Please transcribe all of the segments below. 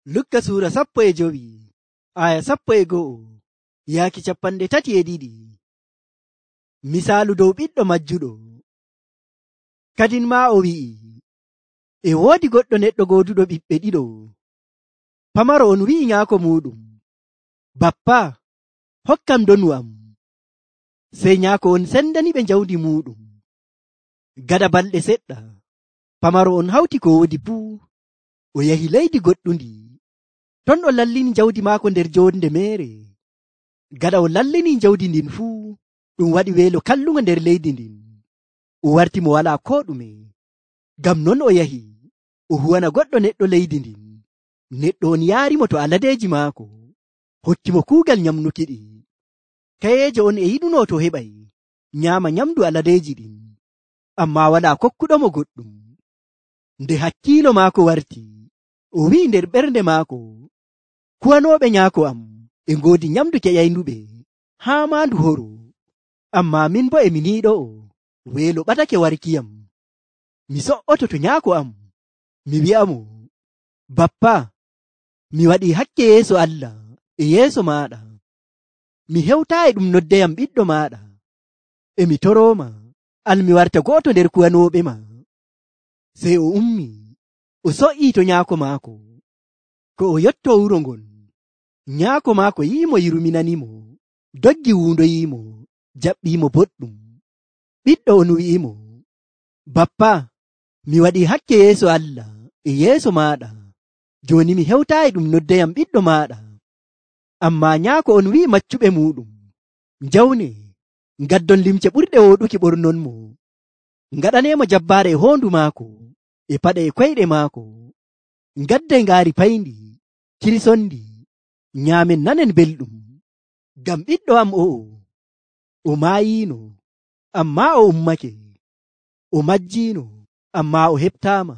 Lukka suura 15 aya 11 yaaki 32. Misaalu dow ɓiɗɗo majjuɗo. Kadin maa o wi'i, e woodi goɗɗo neɗɗo gooduɗo ɓiɓɓe ɗiɗo. Pamaro on wi'i nyaako muɗum, bappa, hokkam donu am. Sey nyaako on sendani ɓe jawdi muɗum. Gada balɗe seɗɗa, pamaro on hawti ko woodi fuu, o yahi leydi goɗɗundi. Ton o lallini jawdi maako nder jonde meere. Gada o lallini jawdi ndin fuu, ɗum waɗi weelo kallungo nder leydi ndin. O warti mo walaa ko ɗume. Ngam non o yahi o huwana goɗɗo neɗɗo leydi ndin. Neɗɗo on yaarimo to aladeeji maako, hokkimo kuugal nyamnukiɗi. Kayeejo on e yiɗuno to heɓay nyaama nyamdu aladeeji ɗin, ammaa walaa kokkuɗomo goɗɗum. Nde hakkiilo maako warti, o wi'i nder ɓernde maako, kuwanooɓe nyaako am e ngoodi nyamdu keƴaynduɓe haa maandu horo, ammaa min bo e mi niiɗo'o, weelo ɓatake warkiyam. Mi so'oto to nyaako am, mi wi'amo, bappa, mi waɗii hakke yeeso Allah e yeeso maaɗa. Mi hewtaayi ɗum noddeyam ɓiɗɗo maaɗa. E mi torooma, al mi warta go'oto nder kuwanooɓe ma. Sey o ummi, o so'ii to nyaako maako. Ko o yottoo wuro ngon, nyaako maako yi'imo yurminanimo, doggi wuundoyiimo, jaɓɓiimo boɗɗum. Ɓiɗɗo on wi'imo, bappa, mi waɗii hakke yeeso Allah e yeeso maaɗa. Jooni mi hewtaayi ɗum noddeyam ɓiɗɗo maaɗa. Ammaa nyaako on wi'i maccuɓe muɗum, njawne, ngaddon limce ɓurɗe wooɗuki ɓornonmo, ngaɗaneemo jabbaare e hoondu maako, e paɗe e koyɗe maako. Ngaddey ngaari payndi, kirsondi, nyaamen nanen belɗum. Ngam ɓiɗɗo am o'o, o maayiino, ammaa o ummake. O majjiino, ammaa o heɓtaama.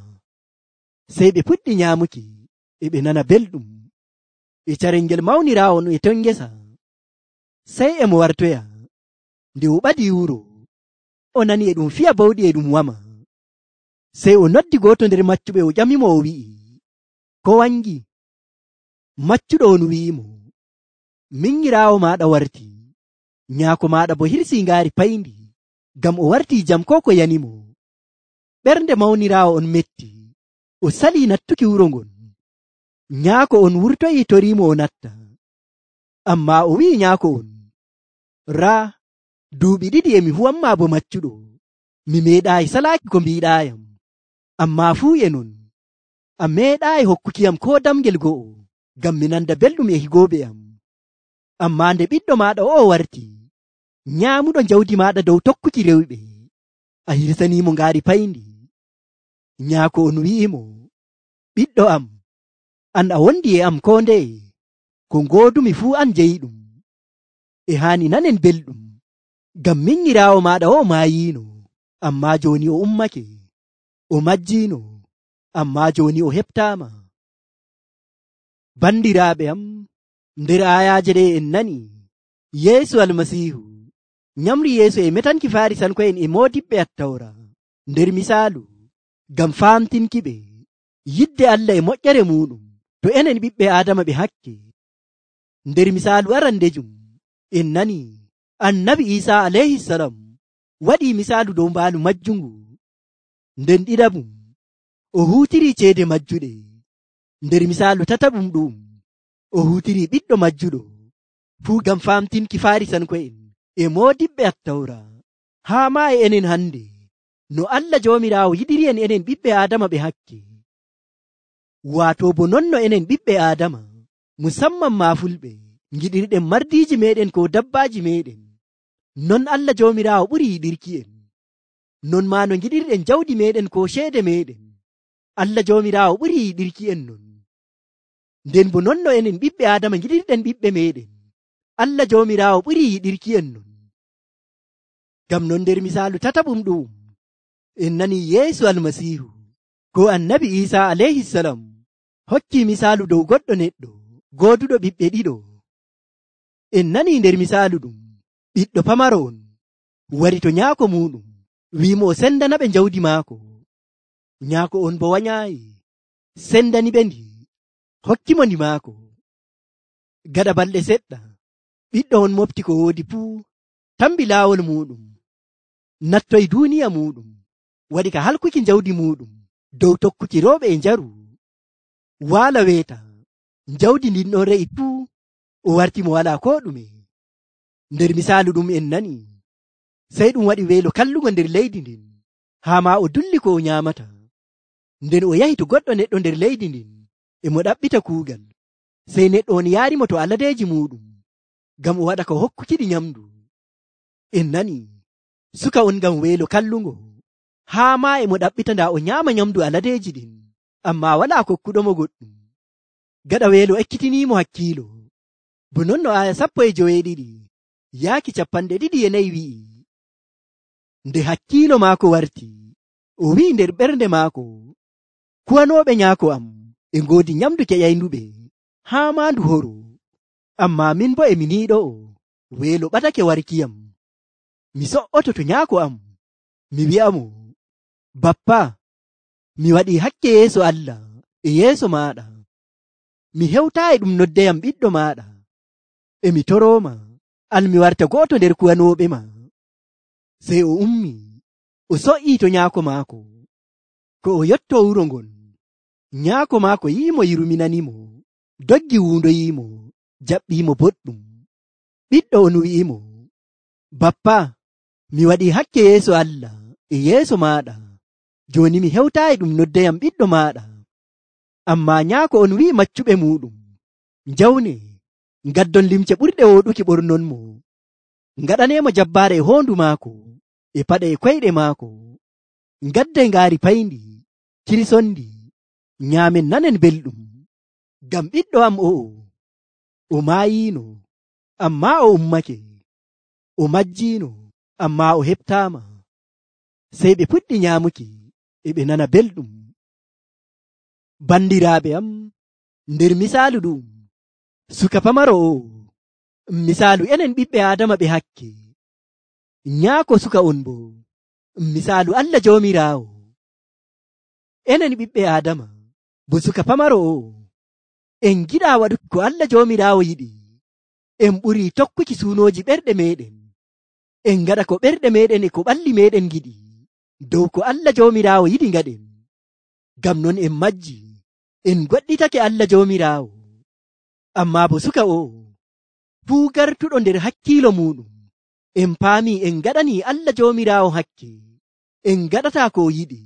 Sey ɓe puɗɗi nyaamuki, e ɓe nana belɗum. E carel ngel mawniraawo e ton ngesa. Sey e mo wartoya. Nde o ɓadii wuro, o nani e ɗum fiya bawɗi e ɗum wama. Sey o noddi gooto nder maccuɓe o ƴamimo o wi'i, ko wangi? Maccuɗo on wi'imo, minyiraawo maaɗa warti, nyaako maaɗa bo hirsii ngaari payndi, ngam o wartii jam ko ko yanimo. Ɓernde mawniraawo on metti, o salii nattuki wuro ngon. Nyaako on wurtoyi toriimo o natta. Ammaa o wi'i nyaako on, raa, duuɓi 2 e mi huwanmaa bo maccuɗo, mi meeɗaayi salaaki ko mbiiɗaayam. Ammaa fuu e non, a meeɗaayi hokkukiyam ko damgel go'o, ngam mi nanda belɗum e higooɓe am. Ammaa nde ɓiɗɗo maaɗa o'o warti, nyaamuɗo jawdi maaɗa dow tokkuki rewɓe, a hirsaniimo ngaari payndi. Nyaako on wi'imo, ɓiɗɗo am, an a wondi e am ko ndeye, ko ngoodumi fuu an jeyiɗum. E haani nanen belɗum, ngam minyiraawo maaɗa o'o maayiino, ammaa jooni o ummake. O majjiino, ammaa jooni o heɓtaama. Bandiraaɓe am, nder aayaaje ɗe en nani, Yeesu Almasiihu nyamri yeeso e metanki Faarisanko'en e moodiɓɓe Attawra nder misaalu, ngam faamtinki ɓe yidde Allah e moƴƴere muɗum to enen ɓiɓɓe Aadama ɓe hakke. Nder misaalu arandejum en nani Annabi Iisaa alayhisalam waɗii misaalu dow mbaalu majjungu. Nden ɗiɗaɓum o huutirii ceede majjuɗe. Nder misaalu tataɓum ɗum o huutirii ɓiɗɗo majjuɗo, fuu ngam faamtinki Faarisanko'en e moodiɓɓe Attawra, haa maa e enen hannde, no Allah Joomiraawo yiɗiri'en enen ɓiɓɓe Aadama ɓe hakke. Waato bo non no enen ɓiɓɓe Aadama, musamman maa fulɓe, ngiɗirɗen mardiiji meɗen ko dabbaaji meɗen, non Allah Joomiraawo ɓuri yiɗirki'en. Non maa no ngiɗirɗen jawdi meɗen ko ceede meɗen, Allah Joomiraawo ɓuri yiɗirki'en non. Nden bo non no enen ɓiɓɓe Aadama ngiɗirɗen ɓiɓɓe meɗen, Allah Joomiraawo ɓuri yiɗirki'en non. Ngam non nder misaalu tataɓum ɗum en nani Yeesu Almasiihu ko Annabi Iisaa alayhisalam hokki misaalu dow goɗɗo neɗɗo gooduɗo ɓiɓɓe 2. En nani nder misaalu ɗum, ɓiɗɗo pamaro on wari to nyaako muɗum, wi'imo o sendana ɓe jawdi maako. Nyaako on bo wanyaayi, sendani ɓe ndi, hokkimo ndi maako. Gaɗa balɗe seɗɗa ɓiɗɗo on mofti ko woodi fuu, tambi laawol muɗum, nattoy duuniya muɗum, waɗi ka halkuki jawdi muɗum dow tokkuki rewɓe e njaru. Waala weeta jawdi ndin ɗon re'i fuu, o warti mo walaa ko ɗume. Nder misaalu ɗum en nani, sey ɗum waɗi weelo kallugo nder leydi ndin, haa ma o dulli ko o nyaamata. Nden o yahi to goɗɗo neɗɗo nder leydi ndin e mo ɗaɓɓita kuugal, sey neɗɗo on yaarimo to aladeeji muɗum ngam o waɗa ko hokkukiɗi nyamdu. En nani suka on ngam weelo kallungo, haa ma e mo ɗaɓɓita ndaa o nyaama nyamdu aladeeji ɗin, ammaa walaa kokkuɗomo goɗɗum. Gaɗa weelo ekkitinimo hakkiilo. Bo non no aya 12 yaaki 24 wi'i, nde hakkiilo maako warti, o wi'i nder ɓernde maako, kuwanooɓe nyaako am e ngoodi nyamdu keƴaynduɓe haa ma ndu horo, ammaa min bo e mi niiɗo'o, weelo ɓatake warkiyam. Mi so'oto to nyaako am, mi wi'amo, bappa, mi waɗii hakke yeeso Allah e yeeso maaɗa. Mi hewtaayi ɗum noddeyam ɓiɗɗo maaɗa. E mi torooma, an mi warta go'oto nder kuwanooɓe ma. Sey o ummi, o so'ii to nyaako maako. Ko o yottoo wuro ngon, nyaako maako yi'imo yiruminanimo, doggi wuundoyiimo, jaɓɓiimo boɗɗum. Ɓiɗɗo on wi'imo, bappa, mi waɗii hakke yeeso Allah e yeeso maaɗa. Jooni mi hewtaayi ɗum noddeyam ɓiɗɗo maaɗa. Ammaa nyaako on wi'i maccuɓe muɗum, njawne, ngaddon limce ɓurɗe wooɗuki ɓornonmo, ngaɗaneemo jabbaare e hoondu maako, e paɗe e koyɗe maako, ngaddey ngaari payndi, kirsondi, nyaamen nanen belɗum. Ngam ɓiɗɗo am o'o, o maayiino, ammaa o ummake, o majjiino, ammaa o heɓtaama. Sey ɓe puɗɗi nyaamuki, e ɓe nana belɗum. Bandiraaɓe am, nder misaalu ɗum, suka pamaro o, misaalu enen ɓiɓɓe Aadama ɓe hakke. Nyaako suka on bo, misaalu Allah Joomiraawo. Enen ɓiɓɓe Aadama, bo suka pamaro o, en giɗaa waɗuki ko Allah Joomiraawo yiɗi. En ɓurii tokkuki suunooji ɓerɗe meɗen. En ngaɗa ko ɓerɗe meɗen e ko ɓalli meɗen giɗi, dow ko Allah Joomiraawo yiɗi ngaɗen. Ngam non en majji, en goɗɗitake Allah Joomiraawo. Ammaa bo suka o, fuu gartuɗo nder hakkiilo muɗum, en paamii en ngaɗanii Allah Joomiraawo hakke, en ngaɗataa ko o yiɗi,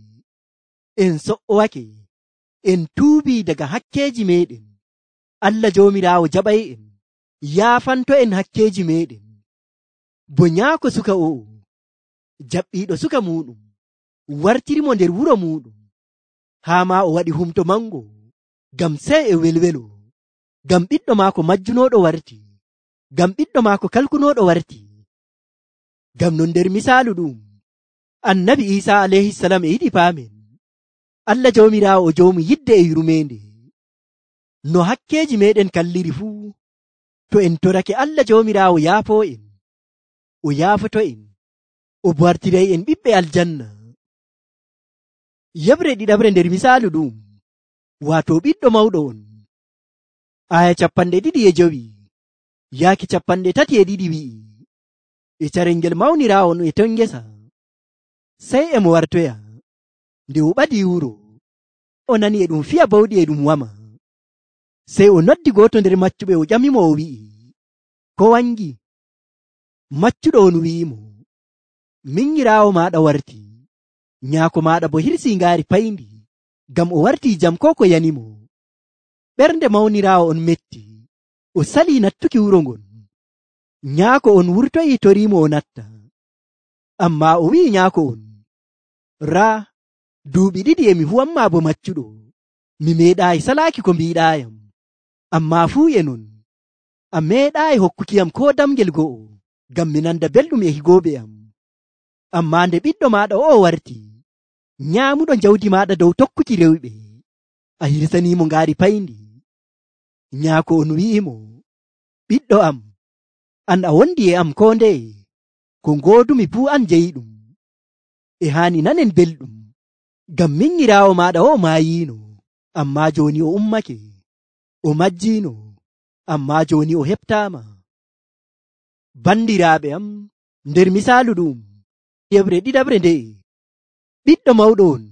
en so'owake, en tuubii daga hakkeeji meɗen. Allah Joomiraawo jaɓay en, yaafanto en hakkeeji meɗen. Bo nyaako suka o, jaɓɓiiɗo suka muɗum, wartirimo nder wuro muɗum, haa ma o waɗi humto mango, ngam sey e welwelo, ngam ɓiɗɗo maako majjunooɗo warti, ngam ɓiɗɗo maako kalkunooɗo warti. Ngam non nder misaalu ɗum, Annabi Iisaa alayhisalam e yiɗi paamen, Allah Joomiraawo o joomu yidde e yurmeende. No hakkeeji meɗen kalliri fuu, to en torake Allah Joomiraawo yaafoo en, o yaafoto en, o wartiray en ɓiɓɓe aljanna. Yeɓre ɗiɗaɓre nder misaalu ɗum, waato ɓiɗɗo mawɗo on. Aya 25 yaaki 32 wi'i, e carel ngel mawniraawo e ton ngesa, sey e mo wartoya. Nde o ɓadii wuro, o nani e ɗum fiya bawɗi e ɗum wama. Sey o noddi gooto nder maccuɓe, o ƴamimo o wi'i, ko wangi? Maccuɗo on wi'imo, minyiraawo maaɗa warti, nyaako maaɗa bo hirsii ngaari payndi, ngam o wartii jam ko ko yanimo. Ɓernde mawniraawo on metti, o salii nattuki wuro ngon. Nyaako on wurtoyi toriimo o natta. Ammaa o wi'i nyaako on, raa, duuɓi 2 e mi huwanmaa bo maccuɗo, mi meeɗaayi salaaki ko mbiiɗaayam. Ammaa fuu e non, a meeɗaayi hokkukiyam ko damgel go'o, ngam mi nanda belɗum e higooɓe am. Ammaa nde ɓiɗɗo maaɗa o warti, nyaamuɗo jawdi maaɗa dow tokkuki rewɓe, a hirsaniimo ngaari payndi. Nyaako on wi'imo, ɓiɗɗo am, an a wondi e am ko ndeye, ko ngoodumi fuu an jeyiɗum. E haani nanen belɗum, ngam minyiraawo maaɗa o maayiino, ammaa jooni o ummake. o majjiino, ammaa jooni o heɓtaama. Bandiraaɓe am, nder misaalu ɗum yeɓre ɗiɗaɓre nde'e, ɓiɗɗo mawɗo on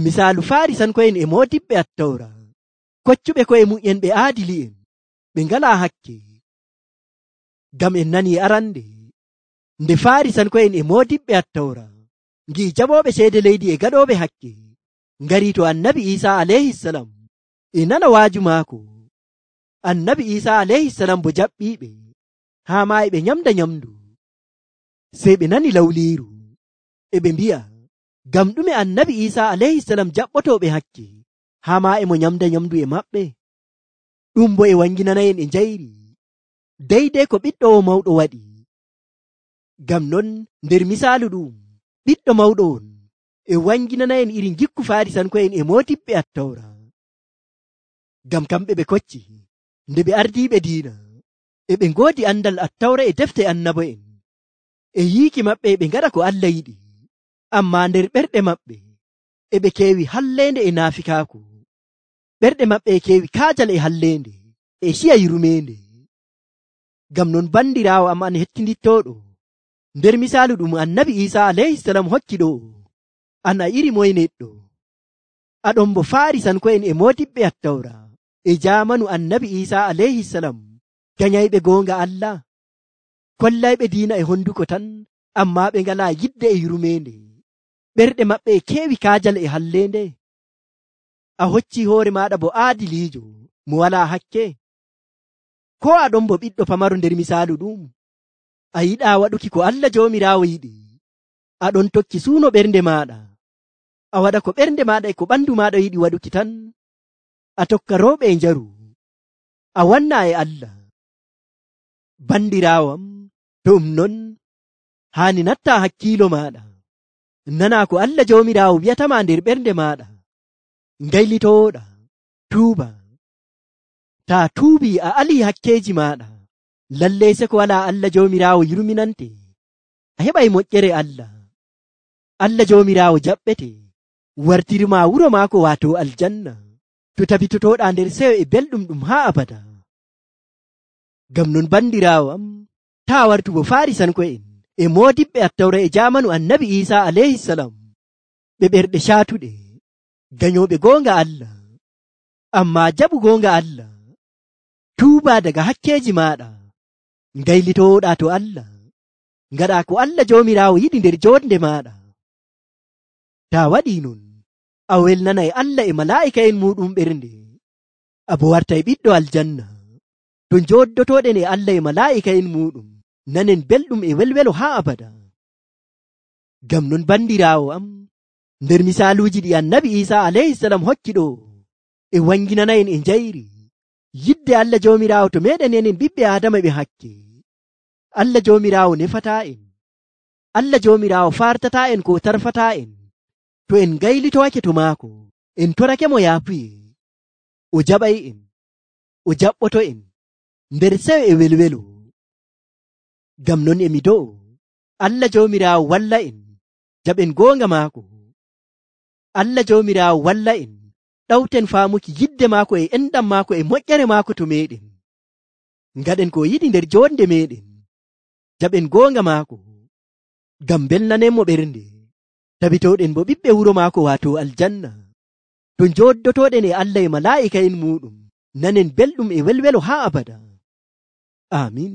misaalu Faarisanko'en e moodiɓɓe Attawra, koccuɓe ko'e mu'en ɓe aadili'en, ɓe ngalaa hakke. Ngam en nanii arande nde Faarisanko'en e moodiɓɓe Attawra ngi'i jaɓooɓe ceede leydi e gaɗooɓe hakke ngarii to Annabi Iisaa alayhisalam e nana waaju maako. Annabi Iisaa alayhisalam bo jaɓɓiiɓe haa maa e ɓe nyamda nyamdu. Sey ɓe nani lawliiru e ɓe mbi'a, ngam ɗume Annabi Iisaa alayhisalam jaɓɓotooɓe hakke haa maa e mo nyamda nyamdu e maɓɓe? Ɗum bo e wanginana'en e njayri deydey ko ɓiɗɗo o mawɗo waɗi. Ngam non nder misaalu ɗum ɓiɗɗo mawɗo on e wanginana'en iri gikku Faarisanko'en e moodiɓɓe Attawra. Ngam kamɓe ɓe kocci nde ɓe ardiiɓe diina e ɓe ngoodi andal Attawra e defte annabo'en e yiiki maɓɓe e ɓe ngaɗa ko Allah yiɗi, ammaa nder ɓerɗe maɓɓe e ɓe keewi halleende e naafikaaku. Ɓerɗe maɓɓe e keewi kaajal e halleende e ciya yurmeende. Ngam non bandiraawo am an hettindittooɗo, nder misaalu ɗum Annabi Iisaa alayhisalam hokki ɗo, an a iri moye neɗɗo? Aɗon bo Faarisanko'en e moodiɓɓe Attawra e jaamanu Annabi Iisaa alayhisalam ganyayɓe goonga Allah, kollayɓe diina e honduko tan, ammaa ɓe ngalaa yidde e yurmeende. Ɓerɗe maɓɓe e keewi kaajal e halleende. A hoccii hoore maaɗa bo aadiliijo mo walaa hakke. Ko aɗon bo ɓiɗɗo pamaro nder misaalu ɗum, a yiɗaa waɗuki ko Allah Joomiraawo yiɗi, aɗon tokki suuno ɓernde maaɗa, a waɗa ko ɓernde maaɗa e ko ɓandu maaɗa yiɗi waɗuki tan, a tokka rewɓe e njaru, a wannaa e Allah. Bandiraawo am, to ɗum non haani nattaa hakkiilo maaɗa, nanaa ko Allah Joomiraawo wi'atama nder ɓernde maaɗa, ngaylitooɗa, tuuba. Taa tuubii a alii hakkeeji maaɗa, lallay se ko walaa Allah Joomiraawo yurminante, a heɓay moƴƴere Allah. Allah Joomiraawo jaɓɓete wartirma wuro maako waato aljanna, to tabitotooɗaa nder seyo e belɗum ɗum haa abada. Ngam non bandiraawo am, taa wartugo Faarisanko'en e moodiɓɓe Attawra e jaamanu Annabi Iisaa alayhisalam, ɓe ɓerɗe caatuɗe, ganyooɓe goonga Allah, ammaa jaɓu goonga Allah, tuuba daga hakkeeji maaɗa, ngaylitooɗaa to Allah, ngaɗaa ko Allah Joomiraawo yiɗi nder joonde maaɗa. Taa waɗii non, a welnanay Allah e malaa'ika'en muuɗum ɓernde, a bo wartay ɓiɗɗo aljanna, to njooddotooɗen e Allah e malaa'ika'en muuɗum nanen belɗum e welwelo haa abada. Ngam non bandiraawo am, nder misaaluuji ɗi Annabi Iisaa alayhisalam hokki ɗo e wanginana'en e njayri yidde Allah Joomiraawo to meeɗen enen ɓiɓɓe Aadama ɓe hakke. Allah Joomiraawo nefataa en, Allah Joomiraawo fartataa en ko tarfataa en to en ngaylitowake to maako, en torake mo yaafuye, o jaɓay en, o jaɓɓoto en nder seyo e welwelo. Ngam non emi do'o Allah Joomiraawo walla en jaɓen goonga maako. Allah Joomiraawo walla en ɗawten faamuki yidde maako e enɗam maako e moƴƴere maako to meeɗen, ngaɗen ko yiɗi nder joonde meeɗen, jaɓen goonga maako, ngam belnanenmo ɓernde, tabitooɗen bo ɓiɓɓe wuro maako waato aljanna, to njooddotooɗen e Allah e malaa'ika'en muuɗum nanen belɗum e welwelo haa abada. Amin.